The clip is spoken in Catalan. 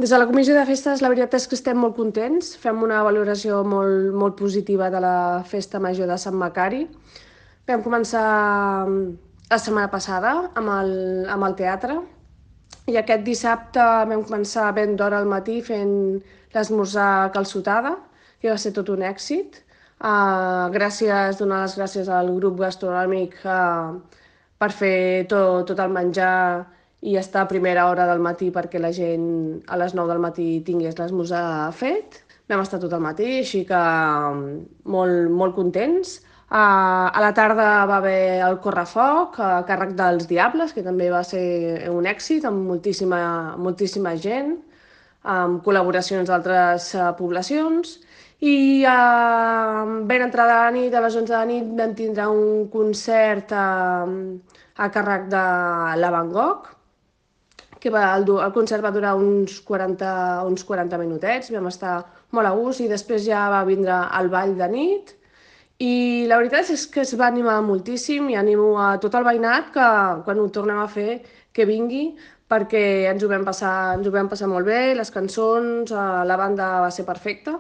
Des de la comissió de festes, la veritat és que estem molt contents. Fem una valoració molt positiva de la festa major de Sant Macari. Vam començar la setmana passada amb el teatre i aquest dissabte vam començar ben d'hora al matí fent l'esmorzar calçotada, que va ser tot un èxit. Donar les gràcies al grup gastronòmic per fer tot el menjar i estar a primera hora del matí perquè la gent a les 9 del matí tingués l'esmorzar fet. Vam estar tot el matí, així que molt contents. A la tarda va haver el correfoc a càrrec dels Diables, que també va ser un èxit, amb moltíssima gent, amb col·laboracions d'altres poblacions. I ben entrada la nit, a les 11 de la nit, vam tindre un concert a càrrec de la Van Gogh, que el concert va durar uns 40 minutets, vam estar molt a gust i després ja va vindre el ball de nit i la veritat és que es va animar moltíssim i animo a tot el veïnat que quan ho tornem a fer que vingui perquè ens ho vam passar molt bé, les cançons, la banda va ser perfecta